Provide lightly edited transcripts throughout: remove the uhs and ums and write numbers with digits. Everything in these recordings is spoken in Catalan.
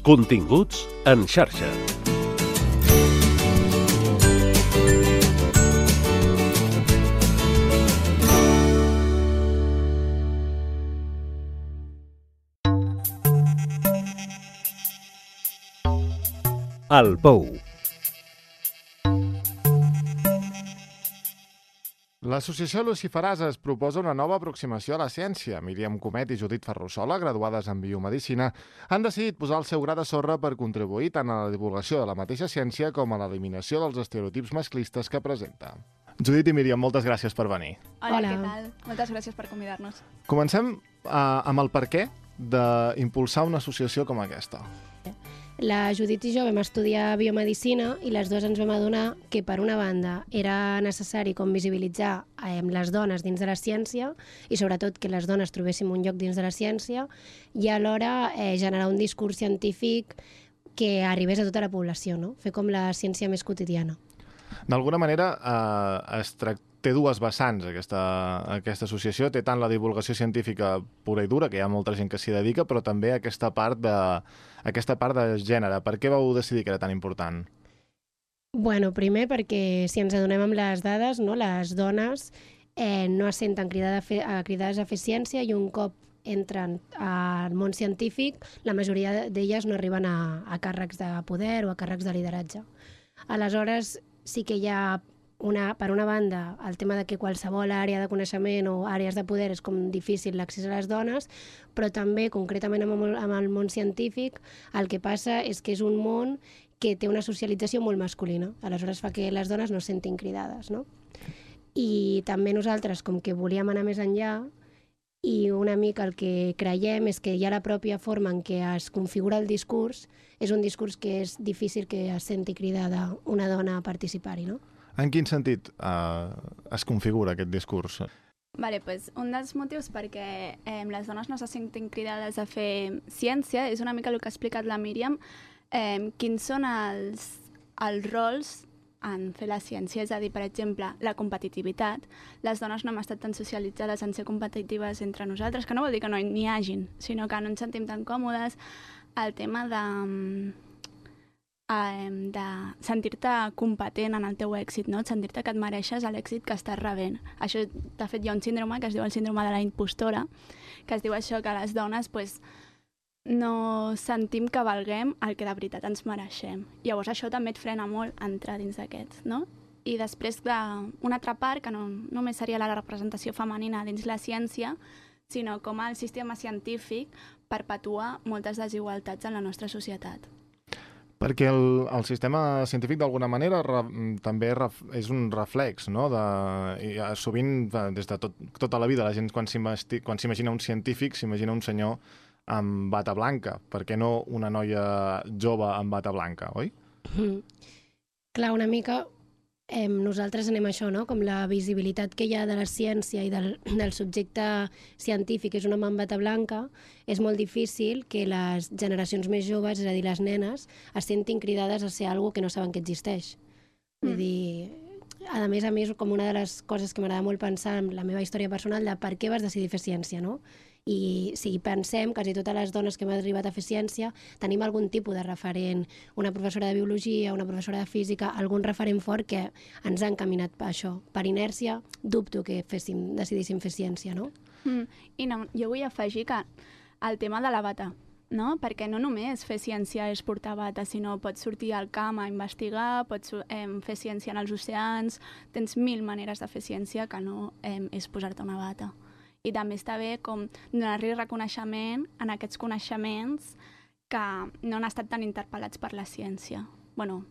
Continguts en xarxa. El Pou. L'associació Luciferasa proposa una nova aproximació a la ciència. Míriam Comet i Judit Ferrusola, graduades en biomedicina, han decidit posar el seu gra de sorra per contribuir tant a la divulgació de la mateixa ciència com a l'eliminació dels estereotips masclistes que presenta. Judit i Míriam, moltes gràcies per venir. Hola, què tal? Moltes gràcies per convidar-nos. Comencem amb el perquè d'impulsar una associació com aquesta. La Judit i jo vam estudiar biomedicina i les dues ens vam adonar que, per una banda, era necessari com visibilitzar les dones dins de la ciència i, sobretot, que les dones trobéssim un lloc dins de la ciència i, alhora, generar un discurs científic que arribés a tota la població, no? Fer com la ciència més quotidiana. D'alguna manera, té dues vessants aquesta associació. Té tant la divulgació científica pura i dura, que hi ha molta gent que s'hi dedica, però també aquesta part de gènere. Per què vau decidir que era tan important? Bueno, primer perquè si ens adonem amb les dades, no, les dones no es senten cridades a fer ciència i un cop entren al món científic, la majoria d'elles no arriben a càrrecs de poder o a càrrecs de lideratge. Aleshores, sí que hi ha per una banda, el tema de que qualsevol àrea de coneixement o àrees de poder és com difícil l'accés a les dones, però també, concretament amb el món científic, el que passa és que és un món que té una socialització molt masculina. Aleshores fa que les dones no es sentin cridades, no? I també nosaltres, com que volíem anar més enllà, i una mica el que creiem és que ja la pròpia forma en què es configura el discurs és un discurs que és difícil que es senti cridada una dona a participar-hi, no? En quin sentit es configura aquest discurs? Vale, pues, un dels motius perquè les dones no se sentin cridades a fer ciència és una mica el que ha explicat la Míriam, quins són els rols en fer la ciència, és a dir, per exemple, la competitivitat. Les dones no hem estat tan socialitzades en ser competitives entre nosaltres, que no vol dir que no n'hi hagin, sinó que no ens sentim tan còmodes. El tema de sentir-te competent en el teu èxit, no? Sentir-te que et mereixes l'èxit que estàs rebent. Això, de fet, hi ha un síndrome que es diu el síndrome de la impostora, que es diu això, que les dones no sentim que valguem el que de veritat ens mereixem. Llavors això també et frena molt entrar dins d'aquests, no? I després una altra part, que no només seria la representació femenina dins la ciència, sinó com el sistema científic perpetua moltes desigualtats en la nostra societat. Perquè el sistema científic, d'alguna manera, també és un reflex, no? Sovint, des de tota la vida, la gent, quan s'imagina un científic, s'imagina un senyor amb bata blanca. Per què no una noia jove amb bata blanca, oi? Clar, una mica nosaltres anem a això, no? Com la visibilitat que hi ha de la ciència i del subjecte científic és un home amb bata blanca, és molt difícil que les generacions més joves, és a dir, les nenes, es sentin cridades a ser alguna que no saben que existeix. Vull dir, a més, és com una de les coses que m'agrada molt pensar en la meva història personal de per què vas decidir fer ciència, no? I si pensem, quasi totes les dones que hem arribat a fer ciència tenim algun tipus de referent, una professora de biologia, una professora de física, algun referent fort que ens ha encaminat per això. Per inèrcia, dubto que decidíssim fer ciència, no? I no, jo vull afegir que el tema de la bata, no? Perquè no només fer ciència és portar bata, sinó pots sortir al camp a investigar, pots fer ciència en els oceans, tens 1000 maneres de fer ciència que no és posar-te una bata. I també està bé com donar-li reconeixement en aquests coneixements que no han estat tan interpel·lats per la ciència. Bueno.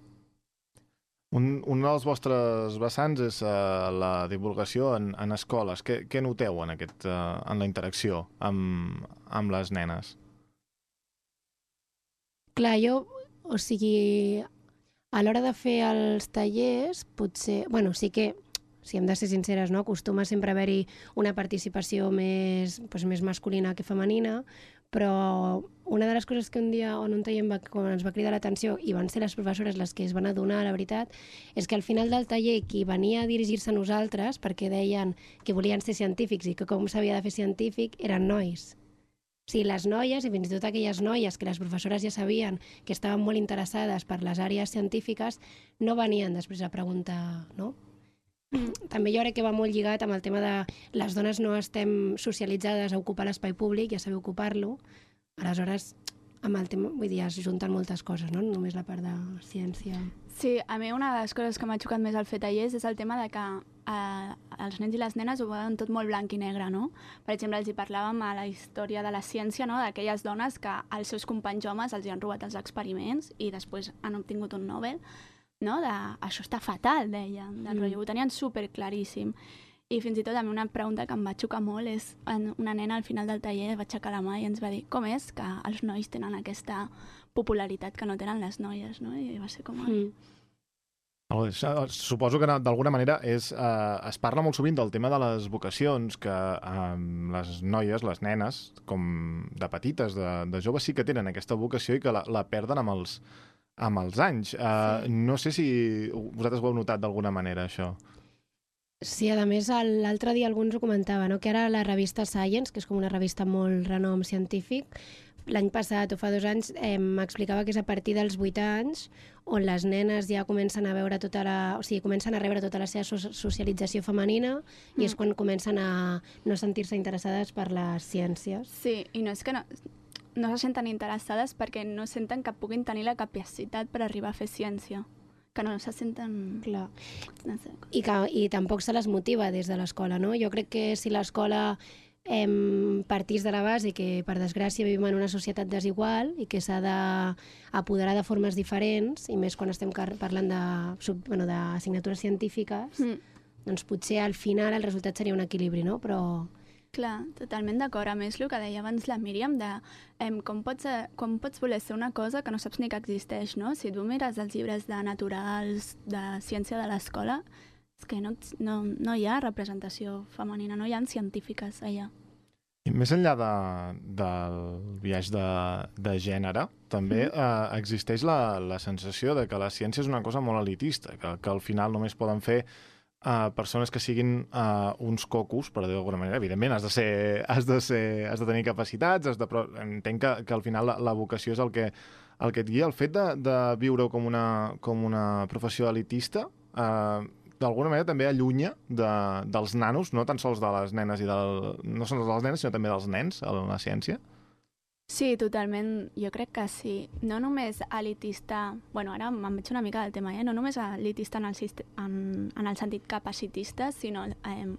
Un dels vostres vessants és la divulgació en escoles. Què noteu en la interacció amb les nenes? Clar, o sigui, a l'hora de fer els tallers, potser, bueno, sí que, si hem de ser sinceres, no? Acostuma sempre a haver-hi una participació més masculina que femenina, però una de les coses que un dia en un taller ens va cridar l'atenció, i van ser les professores les que es van adonar, la veritat, és que al final del taller qui venia a dirigir-se a nosaltres, perquè deien que volien ser científics i que com s'havia de fer científic, eren nois. sigui, les noies, i fins i tot aquelles noies que les professores ja sabien que estaven molt interessades per les àrees científiques, no venien després a preguntar, no? També jo crec que va molt lligat amb el tema de les dones no estem socialitzades a ocupar l'espai públic i a saber ocupar-lo. Aleshores, amb el tema, vull dir, es junten moltes coses, no? Només la part de ciència. Sí, a mi una de les coses que m'ha xocat més al fet tallers és el tema de que els nens i les nenes ho veuen tot molt blanc i negre, no? Per exemple, els hi parlàvem a la història de la ciència, no?, d'aquelles dones que els seus companys homes els hi han robat els experiments i després han obtingut un Nobel, no? Això està fatal, deien, del rotllo, ho tenien superclaríssim. I fins i tot a mi una pregunta que em va xocar molt és una nena al final del taller va aixecar la mà i ens va dir com és que els nois tenen aquesta popularitat que no tenen les noies, no? I va ser com... Suposo que d'alguna manera es parla molt sovint del tema de les vocacions, que les noies, les nenes, com de petites, de joves, sí que tenen aquesta vocació i que la perden amb els anys. No sé si vosaltres ho heu notat d'alguna manera, això. Sí, a més, l'altre dia alguns ho comentava, no? Que ara la revista Science, que és com una revista molt renom científic, l'any passat o fa 2 anys m'explicava que és a partir dels 8 anys on les nenes ja comencen a veure comencen a rebre tota la seva socialització femenina i és quan comencen a no sentir-se interessades per les ciències. Sí, i no és que no se senten interessades perquè no senten que puguin tenir la capacitat per arribar a fer ciència, que no se senten... Clar. No sé. I tampoc se les motiva des de l'escola, no? Jo crec que si l'escola partís de la base que, per desgràcia, vivim en una societat desigual i que s'ha d'apoderar de formes diferents, i més quan estem parlant d'assignatures científiques, doncs potser al final el resultat seria un equilibri, no? Però... Clar, totalment d'acord. A més, el que deia abans la Míriam, de com pots voler ser una cosa que no saps ni que existeix, no? Si tu mires els llibres de naturals, de ciència de l'escola, és que no hi ha representació femenina, no hi ha científiques allà. I més enllà del biaix de gènere, també existeix la sensació de que la ciència és una cosa molt elitista, que al final només poden fer persones que siguin uns cocos, per dir d'alguna manera. Evidentment, has de tenir capacitats, però entenc que al final la vocació és el que et guia. El fet de viure com una professió elitista, d'alguna manera també allunya dels nanos, no tan sols de les nenes no sols de les nenes, sinó també dels nens a la ciència. Sí, totalment. Jo crec que sí. No només elitista... Bueno, ara me'n veig una mica del tema, no només elitista en el sentit capacitista, sinó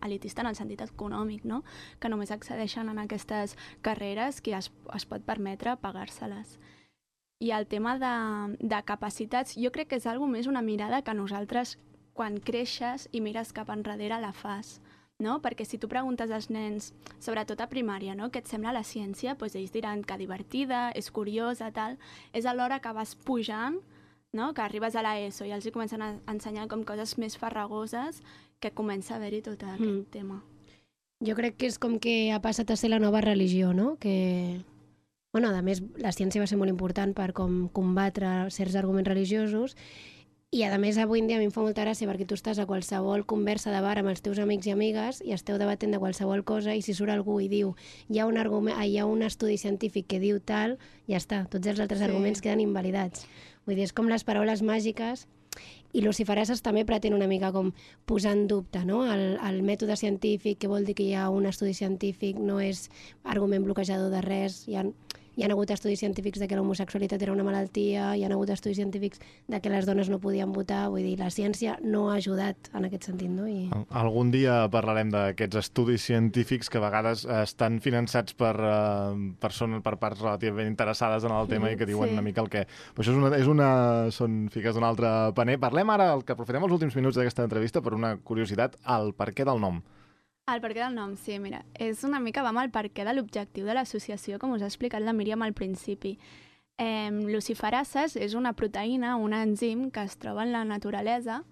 elitista en el sentit econòmic, no? Que només accedeixen a aquestes carreres qui es pot permetre pagar-se-les. I el tema de capacitats, jo crec que és alguna més una mirada que nosaltres, quan creixes i mires cap enrere, la fas. No? Perquè si tu preguntes als nens, sobretot a primària, no? Què et sembla la ciència, doncs ells diran que divertida, és curiosa, tal. És a l'hora que vas pujant, no? Que arribes a l'ESO i els comencen a ensenyar com coses més farragoses, que comença a haver-hi tot aquest tema. Jo crec que és com que ha passat a ser la nova religió, no? Que, bueno, a més, la ciència va ser molt important per com combatre certs arguments religiosos. I, a més, avui en dia a mi em fa molta gràcia perquè tu estàs a qualsevol conversa de bar amb els teus amics i amigues i esteu debatent de qualsevol cosa i si surt algú i diu hi ha un estudi científic que diu tal, ja està, tots els altres arguments queden invalidats. Vull dir, és com les paraules màgiques i Lucifereses també pretén una mica com posar en dubte, no? El mètode científic, que vol dir que hi ha un estudi científic, no és argument bloquejador de res, hi ha hagut estudis científics de que l'homosexualitat era una malaltia, hi ha hagut estudis científics de que les dones no podien votar, vull dir, la ciència no ha ajudat en aquest sentit, no? Algun dia parlarem d'aquests estudis científics que a vegades estan finançats per parts relativament interessades en el tema i que diuen una mica el que... Però això són fiques d'un altre paner. Parlem ara, que aprofitem els últims minuts d'aquesta entrevista per una curiositat, el perquè del nom. El perquè del nom, sí, mira, és una mica va amb el perquè de l'objectiu de l'associació, com us ha explicat la Míriam al principi. Luciferases és una proteïna, un enzim que es troba en la naturalesa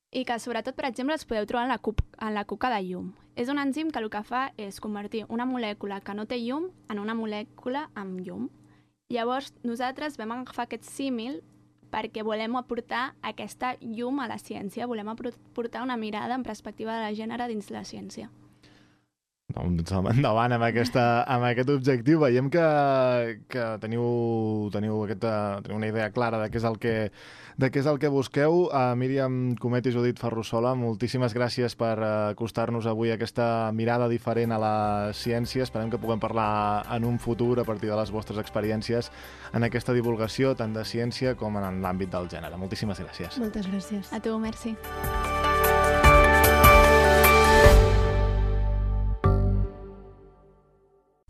i que, sobretot, per exemple, es podeu trobar en la cuca de llum. És un enzim que el que fa és convertir una molècula que no té llum en una molècula amb llum. Llavors, nosaltres vam agafar aquest símil perquè volem aportar aquesta llum a la ciència, volem aportar una mirada en perspectiva de la gènere dins la ciència. Doncs endavant amb aquest objectiu. Veiem que teniu una idea clara de què és el que busqueu. Míriam Comet i Judit Ferrusola, moltíssimes gràcies per acostar-nos avui aquesta mirada diferent a la ciència. Esperem que puguem parlar en un futur a partir de les vostres experiències en aquesta divulgació tant de ciència com en l'àmbit del gènere. Moltíssimes gràcies. Moltes gràcies. A tu, merci.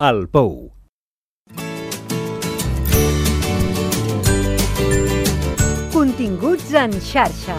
El Pou. Continguts en xarxa.